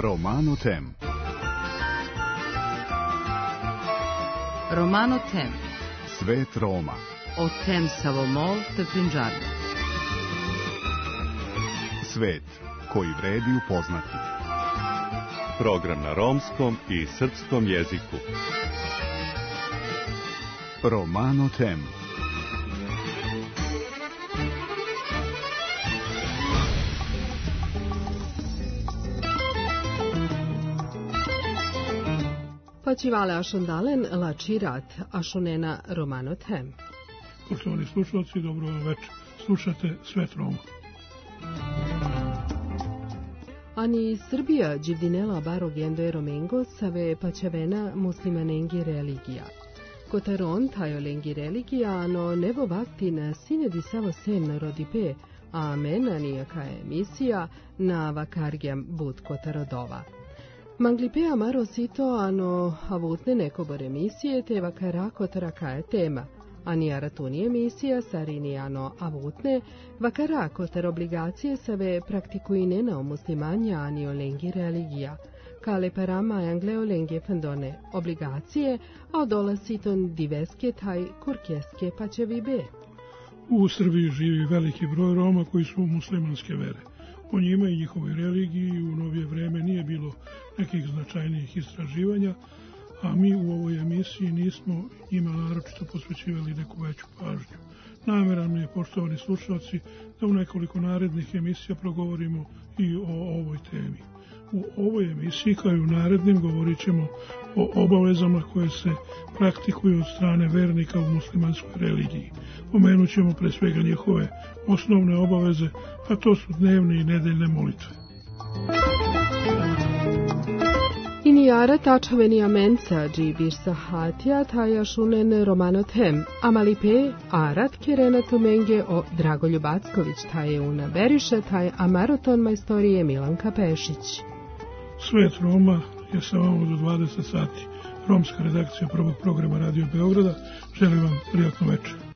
Romano Tem. Romano Tem. Svet Roma. O Tem Savomol te Punjabi. Svet koji vredi upoznati. Program na romskom i srpskom jeziku. Romano Tem. Počivale ašondalen lačirat ašonena Romano Tem. Poštovani slušalci, dobro večer. Slušate Svet Roma. Ani Srbija dživdinela barogendo e romengo save pačevena muslimanengi religija. Kotaron tajolengi religija, ano nevo vaktin sine di savo sen rodipe, a mena nijaka emisija na vakargjam bud kotarodova. Manglipea maro sito ano avutne nekobor emisije te vakara kotara je tema. Ani aratuni emisija sarini ano avutne vakara kotar obligacije save praktikuine na muslimanja ani olengi religija. Kale parama angleo lengi fandone obligacije, a odola siton diveske taj kurkeske pačevi be. U Srbiji živi veliki broj Roma koji su muslimanske vere. O njima i njihovoj religiji u novije vreme nije bilo nekih značajnijih istraživanja, a mi u ovoj emisiji nismo njima naročito posvećivali neku veću pažnju. Nameran mi je, poštovani slušalci, da u nekoliko narednih emisija progovorimo i o ovoj temi. U ovoj emisiji, kao i u narednim, govorit ćemo o obavezama koje se praktikuju od strane vernika u muslimanskoj religiji. Pomenut ćemo pre svega njihove osnovne obaveze, a to su dnevne i nedeljne molitve. Inijara tačaveni amenca džibir sahatija taja šunen Romano Tem, amalipe arat kerena tumenge o Dragoljub Acković taje una beriše taj amaraton majstorije Milanka Pešić. Svet Roma je sa vama do 20 sati. Romska redakcija prvog programa Radio Beograda. Želim vam prijatnu večer.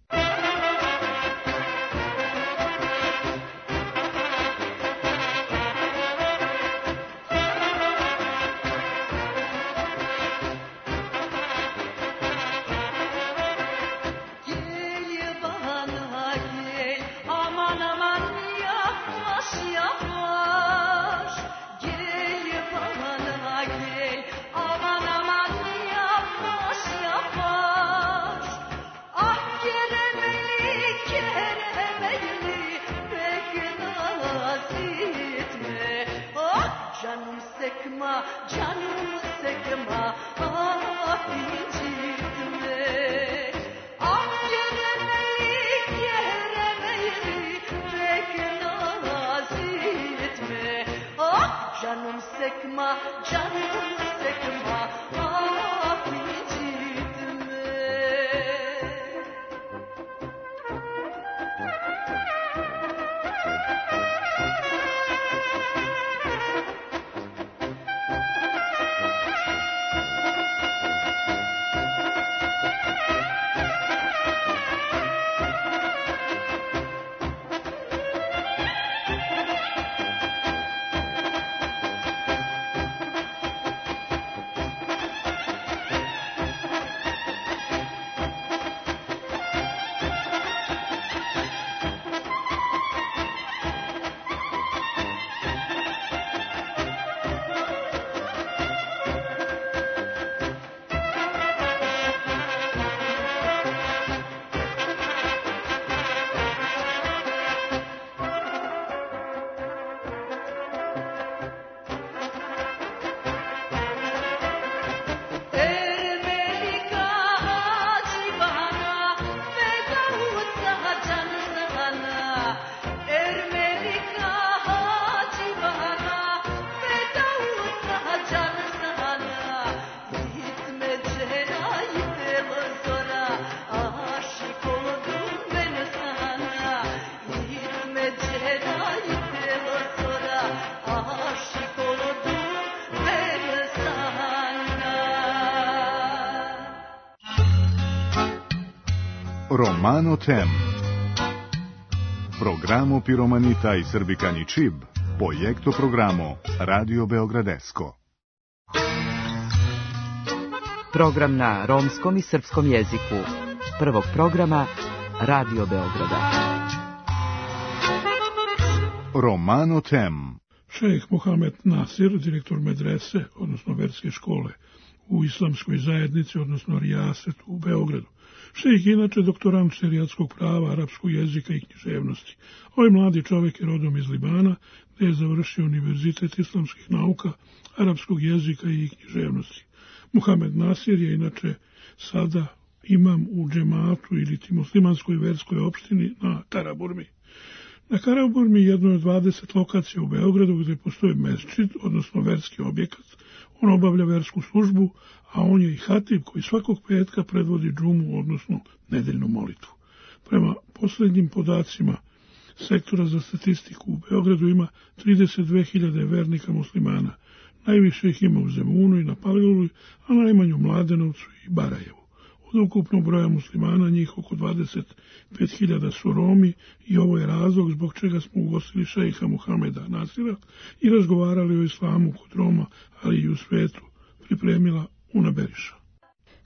Romano Tem. Programo piromanita i srbikani čib Projekto programo Radio Beogradesko. Program na romskom i srpskom jeziku. Prvog programa Radio Beograda. Romano Tem. Šejh Mohamed Nasir, direktor medrese, odnosno verske škole u islamskoj zajednici, odnosno rijasetu u Beogradu. Šejh je inače doktorant šerijatskog prava, arapskog jezika i književnosti. Ovaj mladi čovjek je rodom iz Libana, gdje je završio Univerzitet islamskih nauka, arapskog jezika i književnosti. Mohamed Nasir je inače sada imam u džematu ili muslimanskoj verskoj opštini na Karaburmi. Na Karaburmi jednoj od 20 lokacija u Beogradu gdje postoji mesdžid, odnosno verski objekat. On obavlja versku službu, a on je i hatib koji svakog petka predvodi džumu, odnosno nedeljnu molitvu. Prema posljednjim podacima sektora za statistiku u Beogradu ima 32.000 vernika muslimana. Najviše ih ima u Zemunu i na Paliluli, a najmanje u Mladenovcu i Barajevu. Od ukupnog broja muslimana njih oko 25.000 su Romi i ovo je razlog zbog čega smo ugostili šejha Mohameda Nasira i razgovarali o islamu kod Roma, ali i u svetu, pripremila Una Beriša.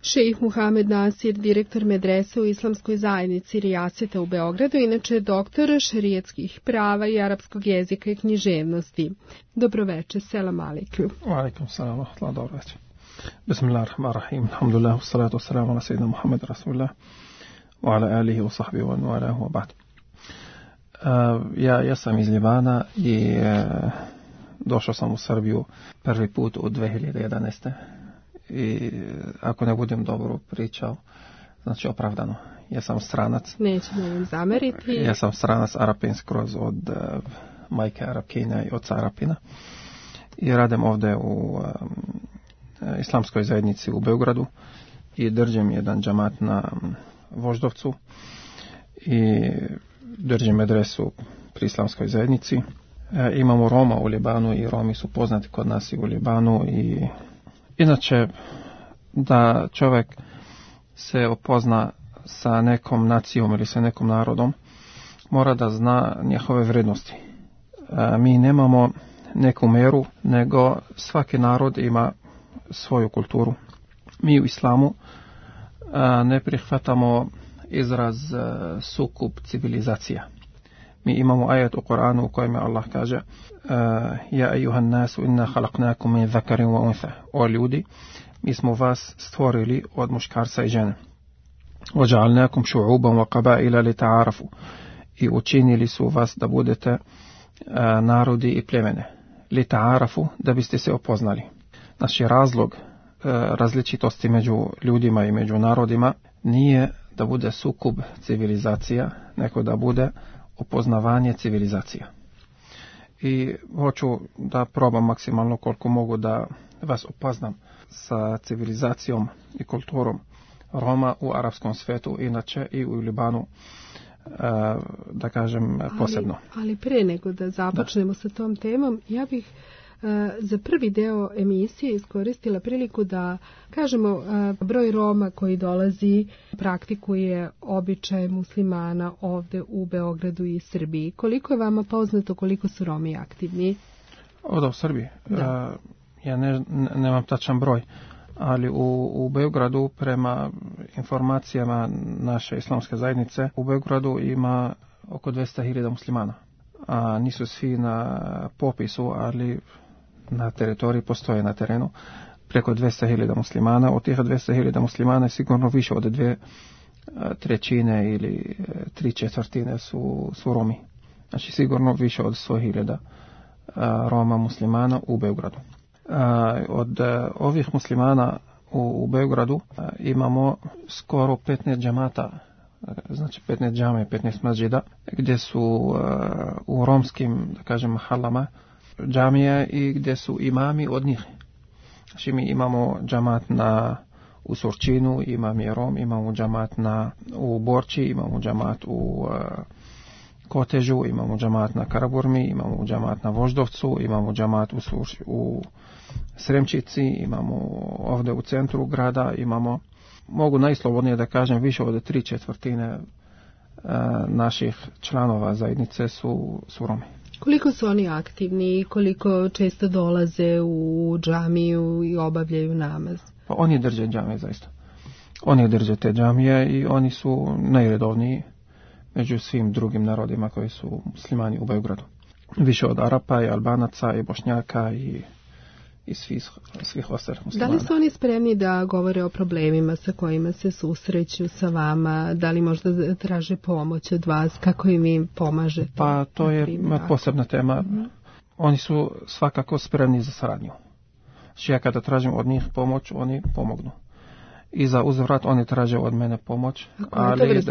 Šejh Mohamed Nasir, direktor medrese u islamskoj zajednici rijaseta u Beogradu, inače doktor šerijatskih prava i arapskog jezika i književnosti. Dobroveče, selam alejkum. Wa alejkum selam, dobro večer. Bismillahirrahmanirrahim. Alhamdulillah, wassalatu wassalamu ala sayyidina Muhammad rasulillah wa ala alihi wa sahbihi wa nu'alahu wa ba'd. Ja sam iz Libana i došao sam u Srbiju prvi put u 2011. I ako ne budem dobro pričao, znači opravdano. Ja sam stranac. Nećemo vam zameriti. Ja sam stranac Arapin skroz od majke Arapkinja i oca Arapina. I radim ovdje u islamskoj zajednici u Beogradu i držim jedan džamat na Voždovcu i držim medresu pri islamskoj zajednici. Imamo Roma u Libanu i Romi su poznati kod nas i u Libanu i inače da čovjek se upozna sa nekom nacijom ili sa nekom narodom mora da zna njihove vrednosti. Mi nemamo neku meru, nego svaki narod ima svoju kulturu. Mi u islamu ne prihvatamo izraz sukup civilizacija. Mi imamo ajet u Koranu u kojem Allah kaže Ja ejuhan nasu inna halaknakum min zakarin wa untha. O ljudi, mi smo vas stvorili od muškarca i žene. Ođa'alnakum šu'uban wa qabaila li ta'arafu. I učinili su vas da budete narodi i plemene. Li ta'arafu, da biste se opoznali. Naš razlog različitosti među ljudima i među narodima nije da bude sukob civilizacija, nego da bude upoznavanje civilizacija. I hoću da probam maksimalno koliko mogu da vas upoznam sa civilizacijom i kulturom Roma u arapskom svetu, inače i u Libanu, da kažem posebno. Ali pre nego da započnemo sa tom temom, ja bih za prvi deo emisije iskoristila priliku da kažemo broj Roma koji dolazi praktikuje običaje muslimana ovdje u Beogradu i Srbiji. Koliko je vama poznato koliko su Romi aktivni? Ovdje u Srbiji? Ja nemam tačan broj, ali u Beogradu prema informacijama naše islamske zajednice u Beogradu ima oko 200.000 muslimana. A nisu svi na popisu, ali na teritoriji postoje na terenu preko 200.000 muslimana. Od tih 200.000 muslimana je sigurno više od 2/3 ili 3/4 su Romi. Znači sigurno više od 100.000 Roma muslimana u Beogradu. Od ovih muslimana u Beogradu imamo skoro 15 džamata, znači 15 džame, 15 masđida, gdje su u romskim, da kažem, halama džamije i gdje su imami od njih. Znači mi imamo džamat u Surčinu, imam je Rom, imamo džamat u Borči, imamo džamat u Kotežu, imamo džamat na Karaburmi, imamo džamat na Voždovcu, imamo džamat u Sremčici, imamo ovdje u centru grada, imamo, mogu najslobodnije da kažem, više od 3/4 naših članova zajednice su Romi. Koliko su oni aktivni i koliko često dolaze u džamiju i obavljaju namaz? Pa oni drže džamije zaista. Oni drže te džamije i oni su najredovniji među svim drugim narodima koji su muslimani u Beogradu. Više od Arapa i Albanaca i Bošnjaka i svih ostalih muslimana. Da li su oni spremni da govore o problemima sa kojima se susreću sa vama? Da li možda traže pomoć od vas? Kako im vi pomažete? Pa to je posebna tema. Oni su svakako spremni za saradnju. Znači ja kada tražim od njih pomoć, oni pomognu. I za uzvrat oni traže od mene pomoć, ali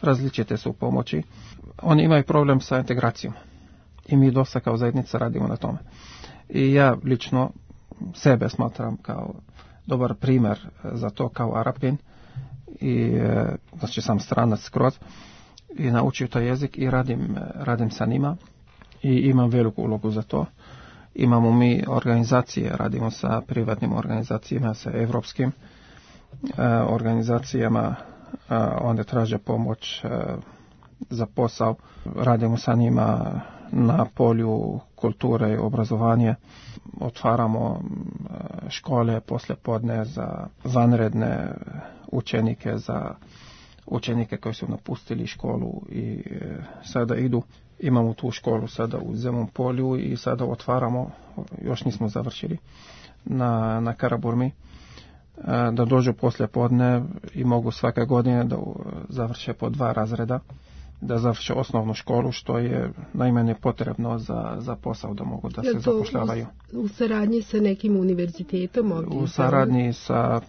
različite su pomoći. Oni imaju problem sa integracijom. I mi dosta kao zajednica radimo na tome. I ja lično sebe smatram kao dobar primjer za to kao Arapin. I znači sam stranac skroz. I naučio taj jezik i radim sa njima. I imam veliku ulogu za to. Imamo mi organizacije, radimo sa privatnim organizacijama, sa evropskim organizacijama, onda traže pomoć za posao. Radimo sa njima na polju kulture i obrazovanja. Otvaramo škole poslijepodne za vanredne učenike, za učenike koji su napustili školu i sada idu. Imamo tu školu sada u Zemun polju i sada otvaramo, još nismo završili, na Karaburmi, da dođu poslije podne i mogu svake godine da završe po 2 razreda, da završe osnovnu školu, što je najmanje potrebno za posao, da mogu da se zapošljavaju. U saradnji sa nekim univerzitetom? U saradnji sa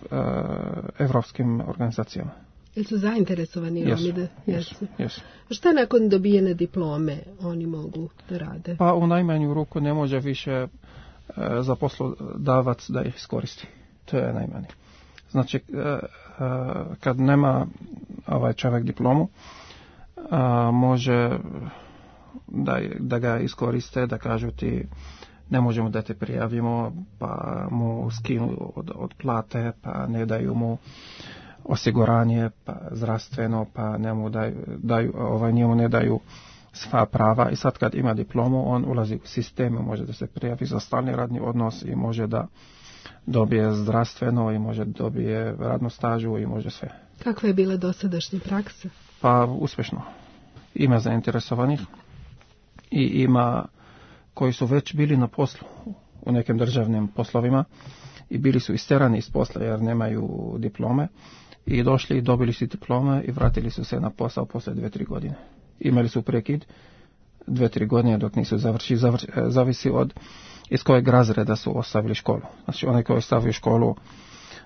evropskim organizacijama. Jel su zainteresovani Romi da jesu? Jesu. Šta nakon dobijene diplome oni mogu da rade? Pa u najmanju ruku ne može više za poslodavac da ih iskoristi. To je najmanje. Znači, kad nema ovaj čovjek diplomu, može da ga iskoriste, da kažu ti ne možemo da te prijavimo, pa mu skinu od plate, pa ne daju mu osiguranje, pa zdravstveno, pa njemu ne daju sva prava. I sad kad ima diplomu, on ulazi u sistem, može da se prijavi za stalni radni odnos i može da dobije zdravstveno i može dobije radnu stažu i može sve. Kakva je bila dosadašnja praksa? Pa uspješno. Ima zainteresovanih i ima koji su već bili na poslu u nekim državnim poslovima i bili su isterani iz posla jer nemaju diplome i došli i dobili su diplome i vratili su se na posao poslije 2-3 godine. Imali su prekid 2-3 godine dok nisu završili. Zavisi od iz kojeg razreda su ostavili školu. Znači onaj koji ostavio školu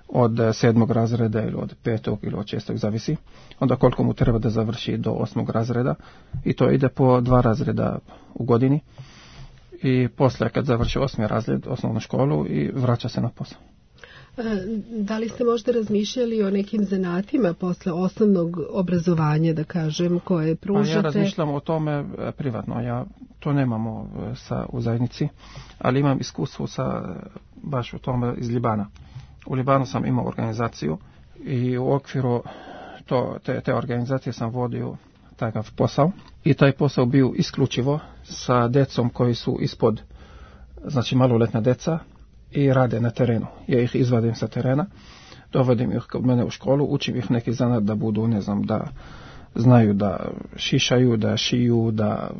od 7. razreda ili od 5. ili od 6. zavisi. Onda koliko mu treba da završi do 8. razreda i to ide po 2 razreda u godini. I poslije kad završi 8. razred osnovnu školu i vraća se na posao. Da li ste možda razmišljali o nekim zanatima posle osnovnog obrazovanja, da kažem, koje pružate? Ja razmišljam o tome privatno. Ja to nemamo u zajednici, ali imam iskustvo baš u tome iz Libana. U Libanu sam imao organizaciju i u okviru te organizacije sam vodio takav posao. I taj posao bio isključivo sa decom koji su ispod, znači maloletna deca, i rade na terenu. Ja ih izvadim sa terena, dovodim ih kod mene u školu, učim ih neki zanat da budu, ne znam, da znaju da šišaju, da šiju, da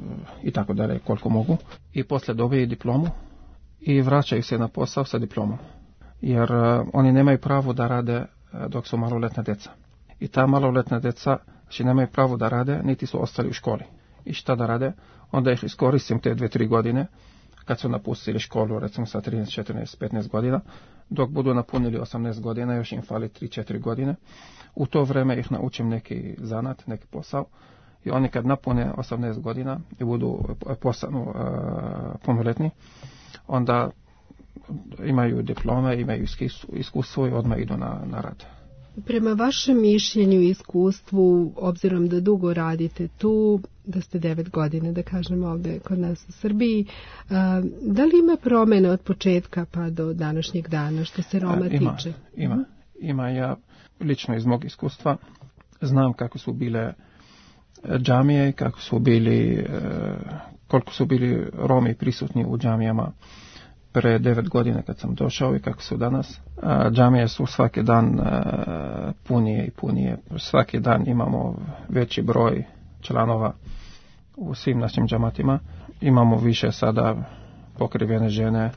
i tako dalje koliko mogu. I poslije dobiju diplomu i vraćaju se na posao sa diplomom. Jer oni nemaju pravo da rade dok su maloletna deca. I ta maloletna deca znači nemaju pravo da rade, niti su ostali u školi. I šta da rade? Onda ih iskoristim te 2-3 godine kad su napustili školu, recimo sa 13, 14, 15 godina, dok budu napunili 18 godina, još im fali 3-4 godine. U to vrijeme ih naučim neki zanat, neki posao i oni kad napune 18 godina i budu postanu punoletni, onda imaju diplome, imaju iskustvo i odmah idu na rad. Prema vašem mišljenju i iskustvu, obzirom da dugo radite tu, da ste 9 godina, da kažem ovdje kod nas u Srbiji, da li ima promjene od početka pa do današnjeg dana što se Roma tiče? Ima. Ja lično iz mog iskustva znam kako su bile džamije, kako su bili koliko su bili Romi prisutni u džamijama pre 9 godina kad sam došao i kako su danas. Džamije su svaki dan punije i punije. Svaki dan imamo veći broj članova u svim našim džamatima. Imamo više sada pokrivene žene.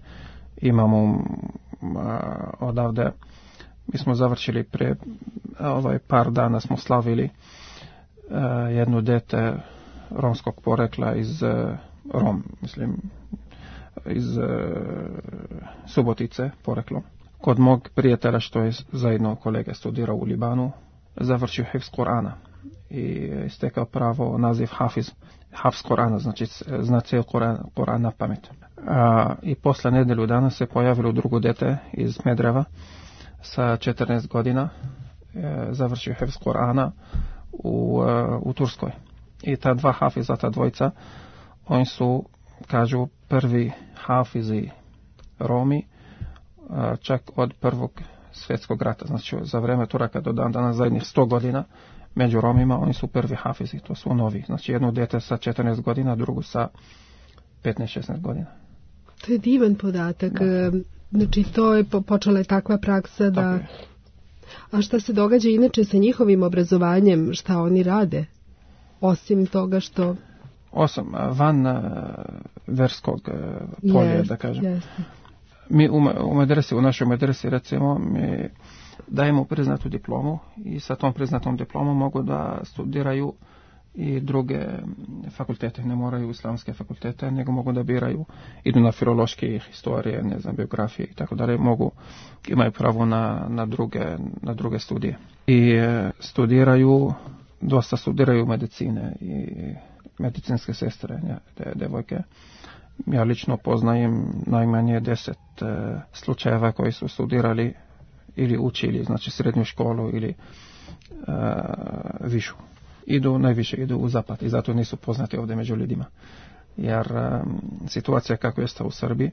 Imamo odavde. Mi smo završili pre par dana smo slavili jedno dete romskog porekla iz iz Subotice poreklo. Kod mog prijatelja što je zajedno kolega studirao u Libanu, završio hifz Korana i stekao pravo naziv Hafiz Korana, znači zna cijel Koran na pamet. I posle nedelju dana se pojavilo drugo dete iz Medreva sa 14 godina, završio hifz Korana u Turskoj. I ta dva hafiza, ta dvojica, oni su, kažu, prvi hafizi Romi, čak od prvog svjetskog rata. Znači za vreme Turaka do dan danas zadnjih 100 godina među Romima oni su prvi hafizi, to su novi. Znači jedno dete sa 14 godina, drugo sa 15-16 godina. To je divan podatak. Da. Znači to je počela je takva praksa da... Okay. A šta se događa inače sa njihovim obrazovanjem, šta oni rade? Osim toga što... van verskog polja, da kažem. Yes. Mi u našoj medresi, recimo, mi dajemo priznatu diplomu i sa tom priznatom diplomom mogu da studiraju i druge fakultete. Ne moraju islamske fakultete, nego mogu da biraju, idu na filološke, historije, biografije i tako dalje, imaju pravo na druge studije. I dosta studiraju medicine i medicinske sestre, devojke. Ja lično poznajem najmanje 10 slučajeva koji su studirali ili učili, znači srednju školu ili višu. Najviše idu u zapad i zato nisu poznati ovdje među ljudima. Jer situacija kako je u Srbiji,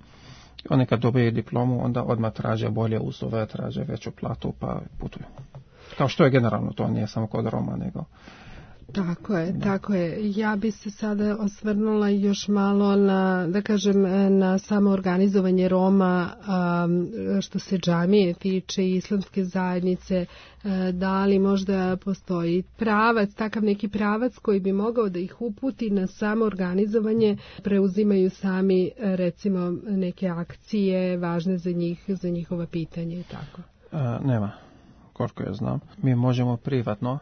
oni kad dobiju diplomu, onda odmah traže bolje uslove, traže veću platu pa putuju. Kao što je generalno, to nije samo kod Roma, nego... Tako je. Ja bi se sada osvrnula još malo na samo organizovanje Roma što se džamije tiče i islamske zajednice. Da li možda postoji takav neki pravac koji bi mogao da ih uputi na samo organizovanje, preuzimaju sami recimo neke akcije važne za njihova pitanja i tako? Nema, koliko ja znam. Mi možemo privatno,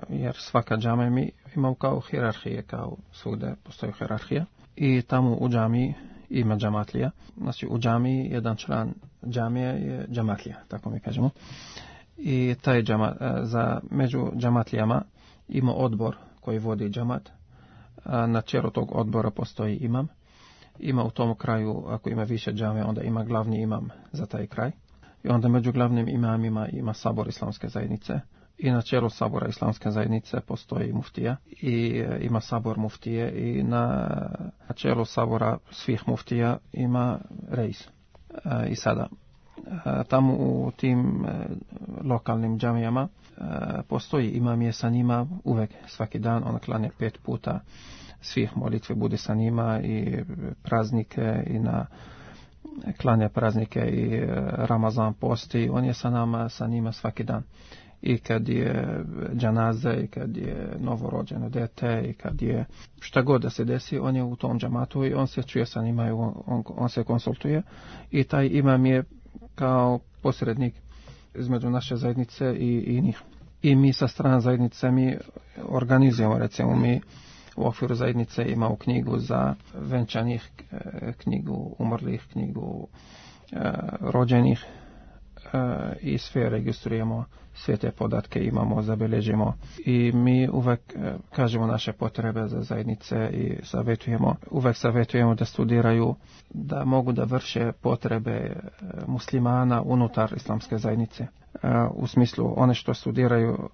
jer svaka džamija mi ima kao hijerarhije, kao svugde postoji hijerarhija i tamo u džamiji ima džamatlija. Znači u džamiji jedan član džamije je džamatlija, tako mi kažemo. I taj među džamatlijama ima odbor koji vodi džamat. Na čelu tog odbora postoji imam. Ima u tom kraju, ako ima više džamija, onda ima glavni imam za taj kraj. I onda među glavnim imamima ima sabor islamske zajednice. I na čelu sabora islamske zajednice postoji muftija i ima sabor muftije i na čelu sabora svih muftija ima reis. I sada tamo u tim lokalnim džamijama postoji imam je sa njima uvek svaki dan, on klanja 5 puta svih molitve bude sa njima i praznike i klanja praznike i Ramazan posti, on je sa njima svaki dan. I kad je džanaze, i kad je novorođeno dete, i kad je šta god da se desi, on je u tom džamatu i on se čuje sa njima i on se konsultuje. I taj imam je kao posrednik između naše zajednice i njih. I mi sa strane zajednice mi organizujemo, recimo mi u okviru zajednice imamo knjigu za venčanih, knjigu umrlih, knjigu rođenih, i sve registrujemo, sve te podatke imamo, zabeležimo i mi uvek kažemo naše potrebe za zajednice i uvek savjetujemo da studiraju, da mogu da vrše potrebe muslimana unutar islamske zajednice. U smislu, one što studiraju,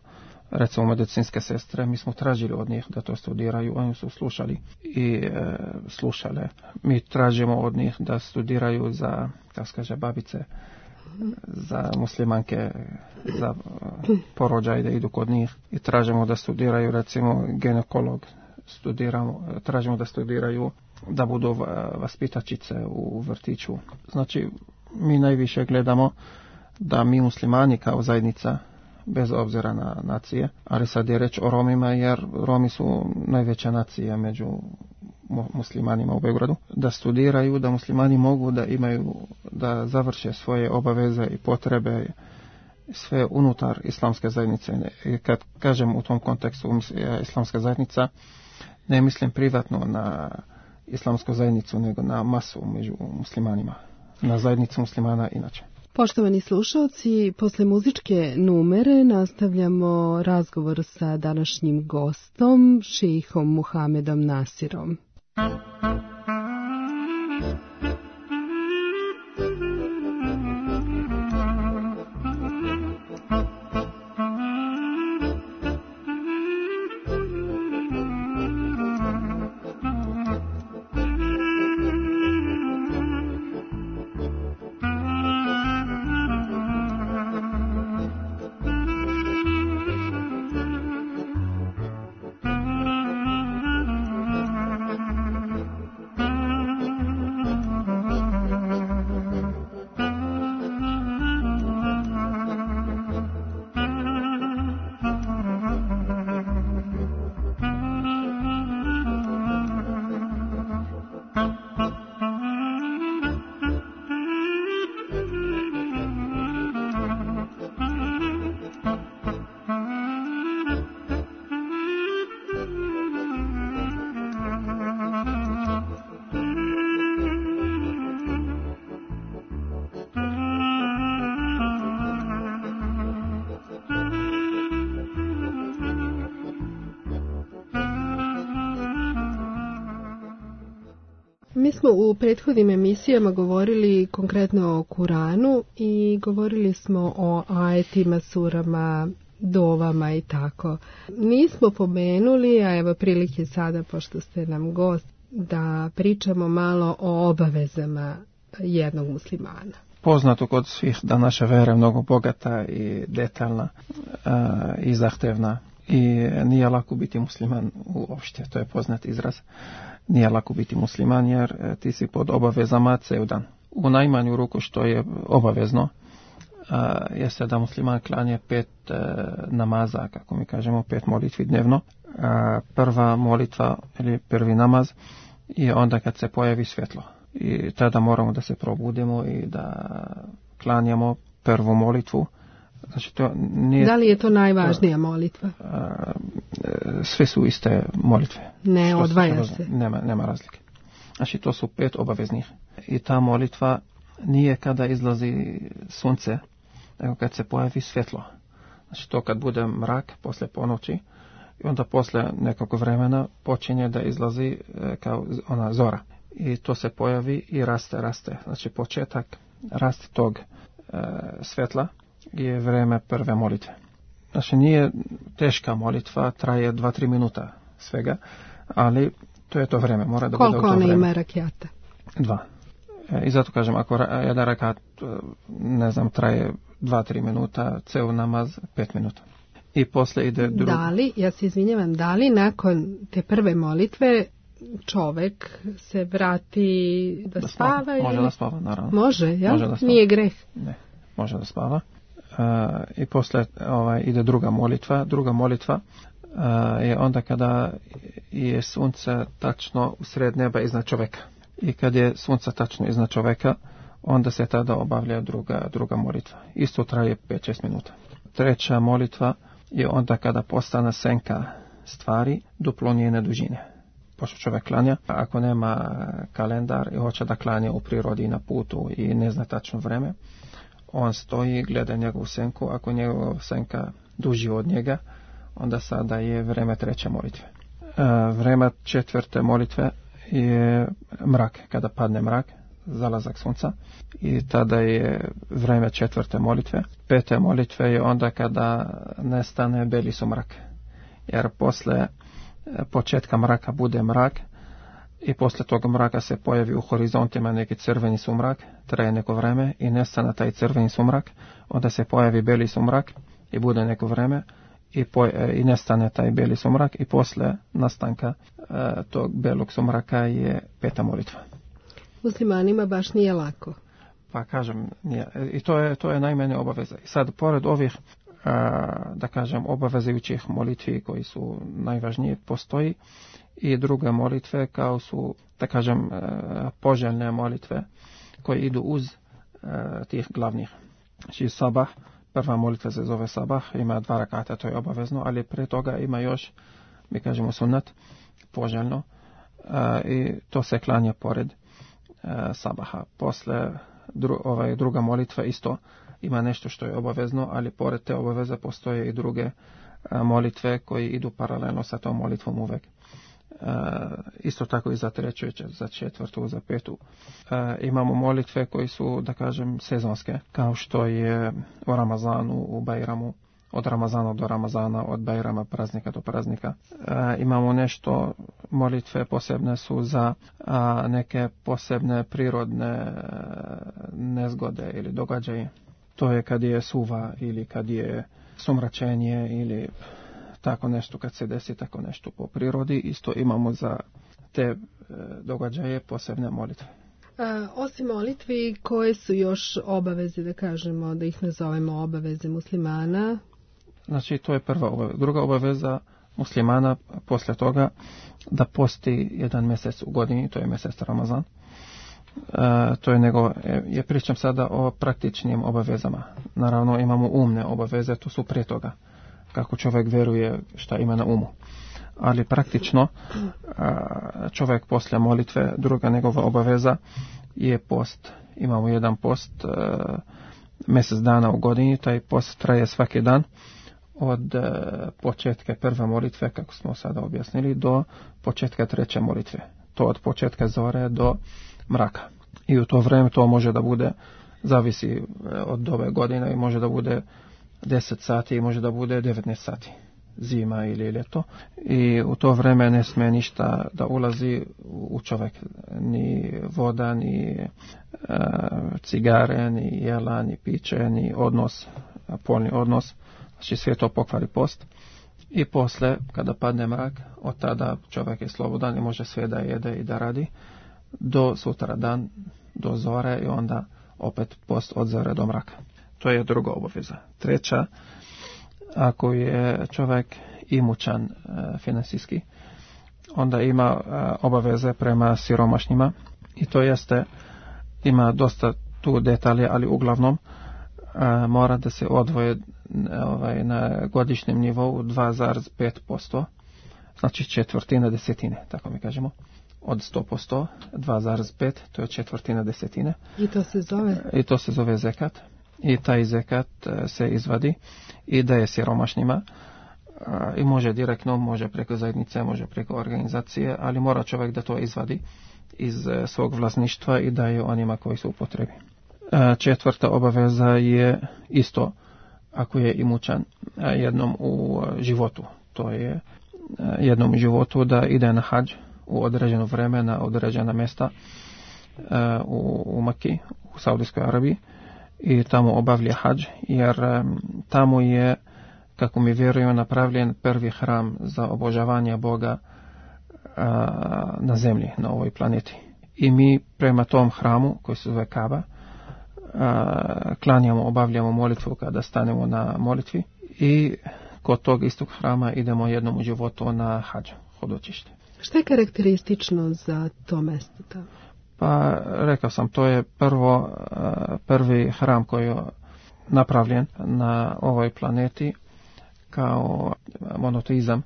recimo medicinske sestre, mi smo tražili od njih da to studiraju, oni su slušali i slušale. Mi tražimo od njih da studiraju za, kako se kaže, babice, za muslimanke, za porođaj da idu kod njih i tražimo da studiraju recimo ginekolog tražimo da studiraju, da budu vaspitačice u vrtiću. Znači, mi najviše gledamo da mi muslimani kao zajednica, bez obzira na nacije, ali sad je reč o Romima, jer Romi su najveća nacija među muslimanima u Beogradu, da studiraju, da muslimani mogu da završe svoje obaveze i potrebe sve unutar islamske zajednice. I kad kažem u tom kontekstu islamska zajednica, ne mislim privatno na islamsku zajednicu, nego na masu među muslimanima, na zajednicu muslimana inače. Poštovani slušalci, posle muzičke numere nastavljamo razgovor sa današnjim gostom, šejhom Muhamedom Nasirom. Mi smo u prethodnim emisijama govorili konkretno o Kuranu i govorili smo o ajetima, surama, dovama i tako. Nismo pomenuli, a evo prilike sada, pošto ste nam gost, da pričamo malo o obavezama jednog muslimana. Poznato kod svih da naša vera je mnogo bogata i detaljna i zahtevna i nije lako biti musliman uopšte, to je poznat izraz. Nije lako biti musliman jer ti si pod obavezama ceo dan. U najmanju ruku što je obavezno jeste da musliman klanje 5 namaza, kako mi kažemo, 5 molitvi dnevno. Prva molitva ili prvi namaz je onda kad se pojavi svjetlo. I tada moramo da se probudimo i da klanjamo prvu molitvu. Znači, to nije, da li je to najvažnija molitva? Sve su iste molitve. Ne, odvaja se. Nema razlike. Znači, to su 5 obaveznih. I ta molitva nije kada izlazi sunce, nego kad se pojavi svjetlo. Znači, to kad bude mrak posle ponoći i onda posle nekog vremena počinje da izlazi kao ona zora. I to se pojavi i raste. Znači, početak rasta tog svjetla je vreme prve molitve. Znači, nije teška molitva, traje 2-3 minuta svega, ali to je to vreme. Mora da bude u to vreme. Koliko ona ima rakijata? 2. I zato kažem, ako jedan rakat, traje 2-3 minuta, ceo namaz 5 minuta. I posle ide drugi. Da li nakon te prve molitve čovek se vrati da spava? Može da spava, naravno. Može, ja? Nije greh. Ne, može da spava. I posle ide druga molitva. Druga molitva je onda kada je sunce tačno u sred neba iznad čoveka. I kad je sunce tačno iznad čoveka, onda se tada obavlja druga molitva. Isto traje 5-6 minuta. Treća molitva je onda kada postane senka stvari duplo njene dužine. Pošto čovjek klanja, ako nema kalendar i hoće da klanja u prirodi na putu i ne zna tačno vreme, on stoji, gleda njegovu senku. Ako njegova senka duži od njega, onda sada je vreme treće molitve. Vreme četvrte molitve je mrak, kada padne mrak, zalazak sunca, i tada je vreme četvrte molitve. Pete molitve je onda kada nestane beli sumrak, jer posle početka mraka bude mrak i posle toga mraka se pojavi u horizontima neki crveni sumrak, traje neko vreme i nestane taj crveni sumrak, onda se pojavi beli sumrak i bude neko vreme i nestane taj bijeli sumrak i posle nastanka tog bijelog sumraka je peta molitva. Muslimanima baš nije lako. Pa kažem, nije. I to je najmanje obaveza. I sad, pored ovih, da kažem, obavezujućih molitvi koji su najvažnije, postoji i druge molitve kao su, da kažem, poželjne molitve koje idu uz tih glavnih. Znači sabah, prva molitva se zove sabah, ima 2 rakata, to je obavezno, ali pre toga ima još, mi kažemo sunat, poželjno, i to se klanja pored sabaha. Posle druga molitva isto ima nešto što je obavezno, ali pored te obaveze postoje i druge molitve koji idu paralelno sa tom molitvom uvek. Isto tako i za treću, za četvrtu, za petu. Imamo molitve koji su, da kažem, sezonske, kao što je u Ramazanu, u Bajramu, od Ramazana do Ramazana, od Bajrama praznika do praznika. Imamo nešto, molitve posebne su za neke posebne prirodne nezgode ili događaje. To je kad je suva ili kad je sumračenje ili tako nešto, kad se desi tako nešto po prirodi. Isto imamo za te događaje posebne molitve. Osim molitvi, koje su još obaveze, da kažemo, da ih nazovemo obaveze muslimana? Znači, to je prva obaveza. Druga obaveza muslimana poslije toga da posti jedan mjesec u godini, to je mjesec Ramazan. To je pričam sada o praktičnim obavezama. Naravno, imamo umne obaveze, to su prije toga, kako čovjek vjeruje šta ima na umu. Ali praktično, čovjek poslije molitve, druga njegova obaveza je post. Imamo jedan post mjesec dana u godini, taj post traje svaki dan od početka prve molitve, kako smo sada objasnili, do početka treće molitve. To od početka zore do mraka. I u to vrijeme to može da bude, zavisi od ove godine, i može da bude 10 sati i može da bude 19 sati, zima ili ljeto. I u to vrijeme ne smije ništa da ulazi u čovjek, ni voda, ni cigare, ni jela, ni piće, ni odnos, polni odnos. Znači sve to pokvari post. I posle, kada padne mrak, od tada čovjek je slobodan i može sve da jede i da radi do sutra dan, do zore, i onda opet post od zore do mraka. To je druga obaveza. Treća, ako je čovjek imućan finansijski, onda ima obaveze prema siromašnjima, i to jeste, ima dosta tu detalje, ali uglavnom mora da se odvoje na godišnjem nivou 2,5%, znači četvrtina desetine, tako mi kažemo. Od 100%, 2,5, to je četvrtina desetine. I to se zove? I to se zove zekat. I taj zekat se izvadi i daje siromašnjima. I može direktno, može preko zajednice, može preko organizacije, ali mora čovjek da to izvadi iz svog vlasništva i daje onima koji su u potrebi. Četvrta obaveza je isto, ako je imućan, jednom u životu. To je jednom u životu da ide na hadž u određeno vreme na određena mjesta u Maki, u Saudijskoj Arabiji, i tamo obavlja hadž, jer tamo je, kako mi vjerujemo, napravljen prvi hram za obožavanje Boga na zemlji, na ovoj planeti. I mi prema tom hramu, koji se zove Kaaba, klanjamo, obavljamo molitvu kada stanemo na molitvi, i kod tog istog hrama idemo jednom u životu na hadž, hodočište. Što je karakteristično za to mjesto tamo? Pa rekao sam, to je prvi hram koji je napravljen na ovoj planeti kao monoteizam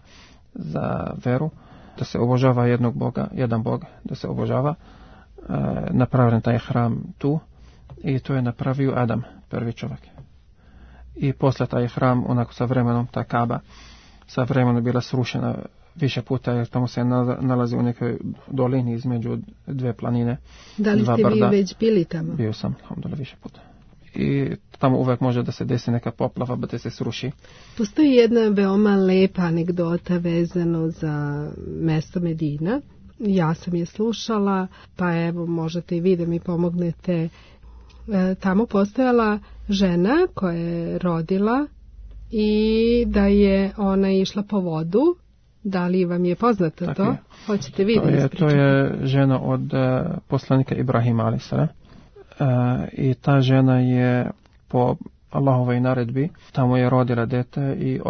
za veru, da se obožava jednog Boga, jedan Bog, da se obožava. Napravljen taj hram tu, i to je napravio Adam, prvi čovjek. I posle taj hram, onako sa vremenom, ta Kaaba, sa vremenom bila srušena više puta, jer tamo se nalazi u nekoj dolini između dve planine. Da li ste vi već bili tamo? Bio sam, više puta. I tamo uvek može da se desi neka poplava, da se sruši. Postoji jedna veoma lepa anegdota vezano za mesto Medina. Ja sam je slušala, pa evo možete i vi da mi pomognete. Tamo postojala žena koja je rodila i da je ona išla po vodu. Da li vam je poznato tako to? Je. Hoćete vi da ispričate? To je žena od poslanika Ibrahima a.s. I ta žena je po Allahovoj naredbi tamo je rodila dete i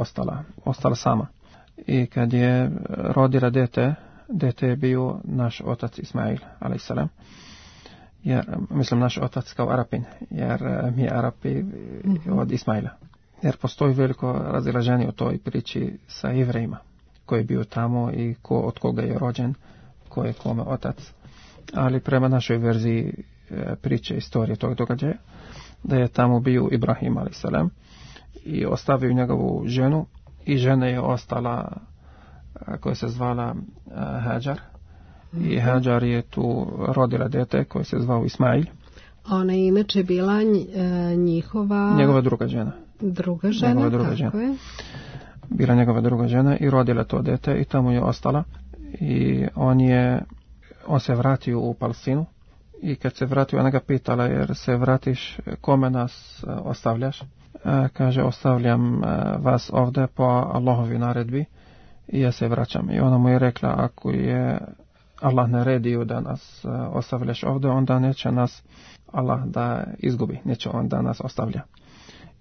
ostala sama. I kad je rodila dete je bio naš otac Ismail a.s. Jer, mislim naš otac kao Arapin, jer mi Arapi od Ismaila. Jer postoji veliko razilaženje u toj priči sa Jevrejima, koji je bio tamo i od koga je rođen, ko je kome otac. Ali prema našoj verziji priče istorije tog događaja, da je tamo bio Ibrahim a.s. i ostavio njegovu ženu i žena je ostala koja se zvala Hajar. I Hajar je tu rodila dete koje se zvao Ismail. Ona je inače bila njegova druga žena, tako je. Bila njegova druga žena i rodila to dete i tamo je ostala. I on se vratio u Palestinu i kad se vratio ona ga pitala jer se vratiš kome nas ostavljaš. Kaže ostavljam vas ovdje po Allahovi naredbi i ja se vraćam. I ona mu je rekla ako je Allah naredio da nas ostavljaš ovdje, onda neće nas Allah da izgubi, neće on da nas ostavlja.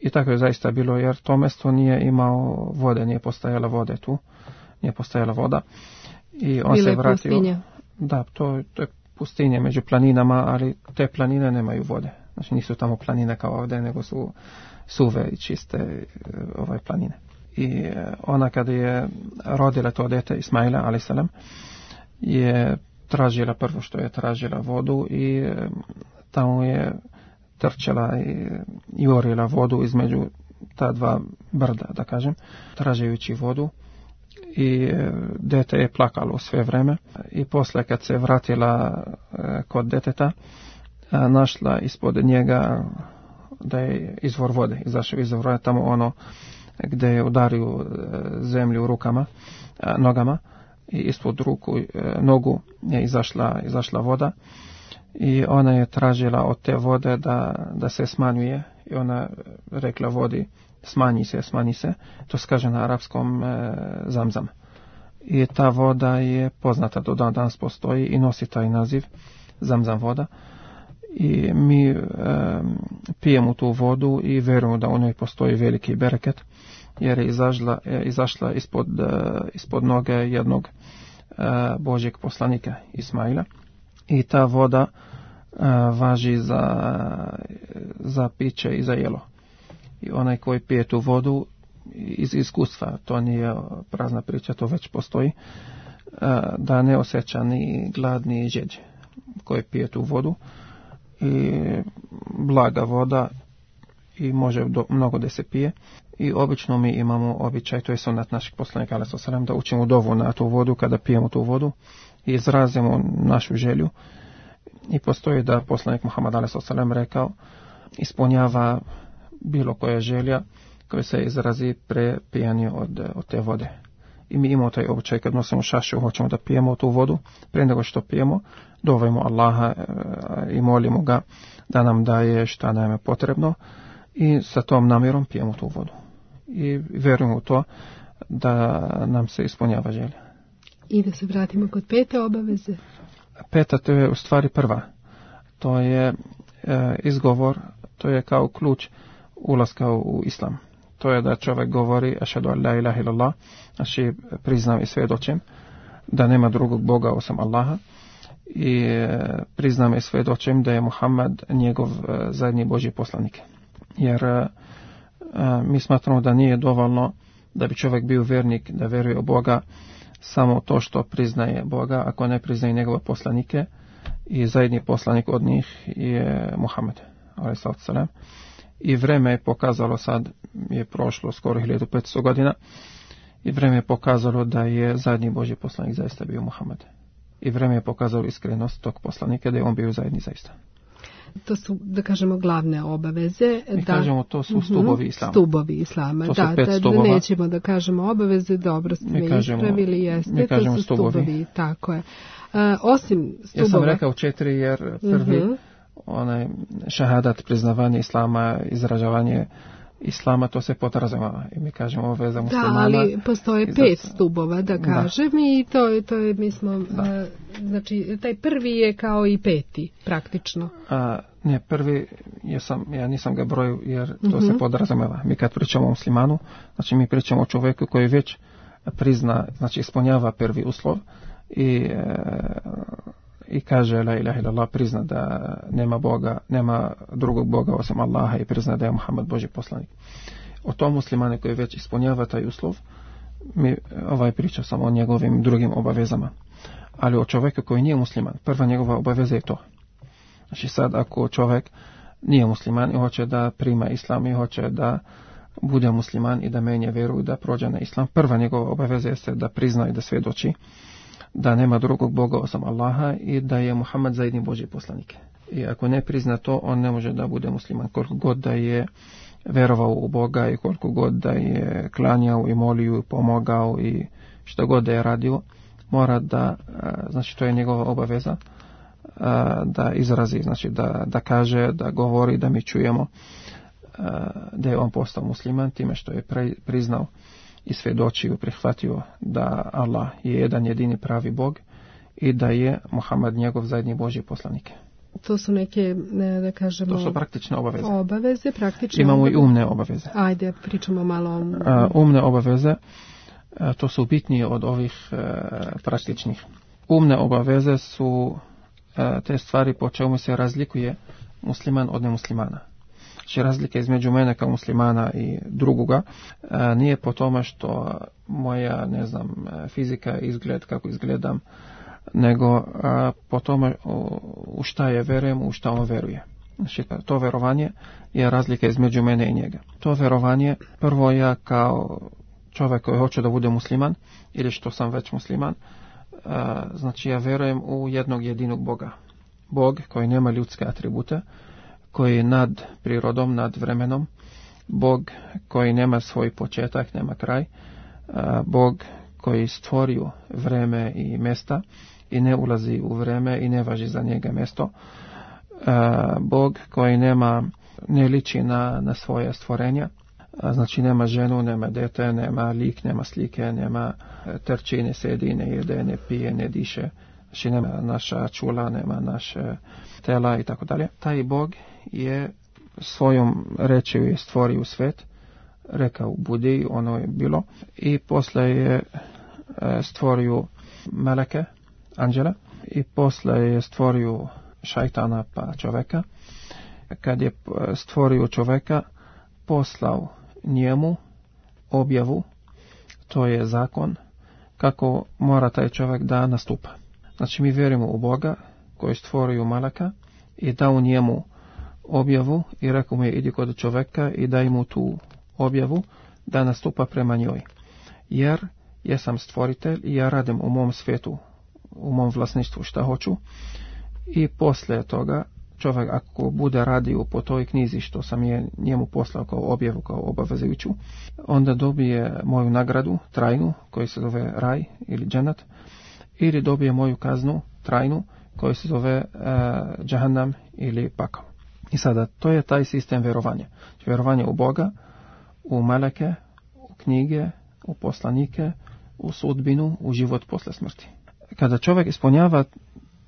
I tako je zaista bilo, jer to mjesto nije imao vode, nije postajala vode tu, nije postajala voda. I on Bila se vratio. Pustinja. Da, to je pustinje među planinama, ali te planine nemaju vode. Znači nisu tamo planine kao ovdje, nego su suve i čiste planine. I ona kada je rodila to dete Ismaila a.s. je tražila prvo što je tražila vodu i tamo je trčala i jurila vodu između ta dva brda, da kažem, tražujući vodu i dete je plakalo sve vreme i poslije kad se vratila kod deteta našla ispod njega da je izvor vode, izašao izvor vode tamo ono gdje je udario zemlju rukama, nogama i ispod nogu je izašla voda i ona je tražila od te vode da se smanjuje i ona rekla vodi smanji se, to se kaže na arapskom zamzam. I ta voda je poznata do danas postoji i nosi taj naziv zamzam voda i mi pijemo tu vodu i vjerujemo da u njoj postoji veliki bereket jer je izašla ispod noge jednog Božjeg poslanika Ismaila i ta voda važi za piće i za jelo. I onaj koji pije tu vodu iz iskustva, to nije prazna priča, to već postoji, da ne osjeća ni glad ni žeđ koji pije tu vodu i blaga voda i može mnogo da se pije. I obično mi imamo običaj, to je sunnet našeg poslanika alejhi selam, da učimo dovu na tu vodu kada pijemo tu vodu i izrazimo našu želju. I postoji da poslanik Muhammed alejhi selam rekao ispunjava bilo koja želja koja se izrazi pre pijanju od te vode. I mi imamo taj običaj kad nosimo šašu, hoćemo da pijemo tu vodu, prije nego što pijemo, dovajmo Allaha i molimo ga da nam daje šta nam je potrebno i sa tom namjerom pijemo tu vodu. I vjerujemo u to da nam se ispunjava želja. I da se vratimo kod pete obaveze. Peta, to je u stvari prva. To je izgovor, to je kao ključ ulaska u islam. To je da čovjek govori ašhadu an la ilaha illallah, znači priznam i svjedočim da nema drugog Boga osim Allaha i priznam i svjedočim da je Muhammed njegov zadnji Božji poslanik. Jer mi smatramo da nije dovoljno da bi čovjek bio vjernik, da vjeruje u Boga samo to što priznaje Boga, ako ne priznaje njegove poslanike i zadnji poslanik od njih je Muhammed alejhi selam. I vreme je pokazalo, sad je prošlo skoro 1500 godina, i vreme je pokazalo da je zadnji Božji poslanik zaista bio Muhammed. I vreme je pokazalo iskrenost tog poslanika, da je on bio zadnji zaista. To su, da kažemo, glavne obaveze. Mi kažemo, to su stubovi islama. Stubovi islama, to su 5 stubova. Nećemo da kažemo obaveze, dobro ste me ispravili, jeste, to su stubovi, tako je. Osim stubova... Ja sam rekao 4 jer prvi, onaj šahadat, priznavanje islama, izražavanje Islama, to se podrazumijeva. I mi kažemo obaveza muslimana. Da, ali postoje 5 stubova, da kažem, i to je, mi smo, znači, taj prvi je kao i 5. praktično. Ne, prvi, ja nisam ga brojio, jer to se podrazumijeva. Mi kad pričamo o muslimanu, znači mi pričamo o čovjeku koji već prizna, znači ispunjava prvi uslov i kaže la ilaha illallah, prizna da nema drugog Boga osim Allaha i prizna da je Muhammed Božji poslanik. O tom muslimanu koji već ispunjava taj uslov, mi priča samo o njegovim drugim obavezama. Ali o čovjeku koji nije musliman, prva njegova obaveza je to. Znači sad ako čovjek nije musliman i hoće da prima islam i hoće da bude musliman i da menje vjeru i da prođe na islam, prva njegova obaveza jeste da prizna i da svjedoči da nema drugog Boga osim Allaha i da je Muhammed zajedni Božji poslanik. I ako ne prizna to, on ne može da bude musliman. Koliko god da je vjerovao u Boga i koliko god da je klanjao i molio i pomogao i što god da je radio, mora da, znači to je njegova obaveza, da izrazi, znači da kaže, da govori, da mi čujemo da je on postao musliman time što je priznao i svjedočio, prihvatio da Allah je jedan jedini pravi Bog i da je Muhammed njegov zajedni Božji poslanik. To su neke, da kažemo... To su praktične obaveze. Obaveze, praktične Imamo obaveze. I umne obaveze. Ajde, pričamo malo o... Umne obaveze, to su bitnije od ovih praktičnih. Umne obaveze su te stvari po čemu se razlikuje musliman od nemuslimana. Znači razlika između mene kao muslimana i drugoga nije po tome što moja, fizika, izgled, kako izgledam, nego po tome u šta je verujem, u šta on veruje. Znači to verovanje je razlika između mene i njega. To verovanje, prvo ja kao čovjek koji hoće da bude musliman, ili što sam već musliman, znači ja verujem u jednog jedinog Boga. Bog koji nema ljudske atribute, koji je nad prirodom, nad vremenom, Bog koji nema svoj početak, nema kraj, Bog koji stvorio vreme i mjesta i ne ulazi u vreme i ne važi za njega mjesto, Bog koji ne liči na svoje stvorenja, znači nema ženu, nema dete, nema lik, nema slike, nema trči, ne sedi, ne jede, ne pije, ne diše, znači nema naša čula, nema naše tela i tako dalje. Taj Bog je svojom rečju je stvorio svet, rekao budi, ono je bilo, i poslije je stvorio meleke, anđele, i poslije je stvorio šajtana pa čovjeka. Kad je stvorio čovjeka, poslao njemu objavu, to je zakon, kako mora taj čovjek da nastupa. Znači mi vjerujemo u Boga koji je stvorio meleka i dao njemu objavu i rekao mu je idi kod čovjeka i daj mu tu objavu da nastupa prema njoj. Jer ja sam stvoritelj i ja radim u mom svijetu, u mom vlasništvu šta hoću, i poslije toga čovjek ako bude radio po toj knjizi što sam je njemu poslao kao objavu, kao obavezujuću, onda dobije moju nagradu trajnu koji se zove raj ili dženat, ili dobije moju kaznu trajnu koji se zove džahannam ili pakao. I sada, to je taj sistem vjerovanja. Vjerovanje u Boga, u meleke, u knjige, u poslanike, u sudbinu, u život posle smrti. Kada čovjek ispunjava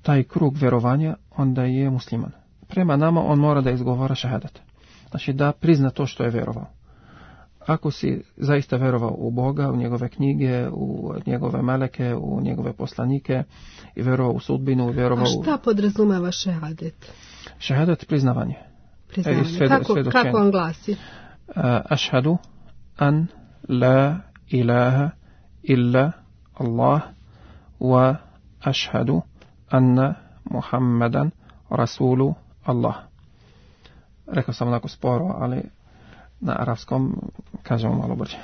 taj krug vjerovanja, onda je musliman. Prema nama on mora da izgovara šahadat. Znači da prizna to što je vjerovao. Ako si zaista vjerovao u Boga, u njegove knjige, u njegove meleke, u njegove poslanike i vjerovao u sudbinu, vjerovao... A šta podrazumeva šehadet? Šehadet priznavanje. Kako on glasi? Ašhadu an la ilaha illa Allah wa ašhadu anna Muhammadan rasulu Allah. Rekao sam onako sporo, ali na arapskom kažemo malo brže.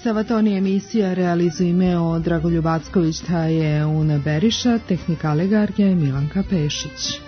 Savatoni emisija realizuje imeo Dragoljub Acković, ta je Una Beriša, tehnika Legarja i Milanka Pešić.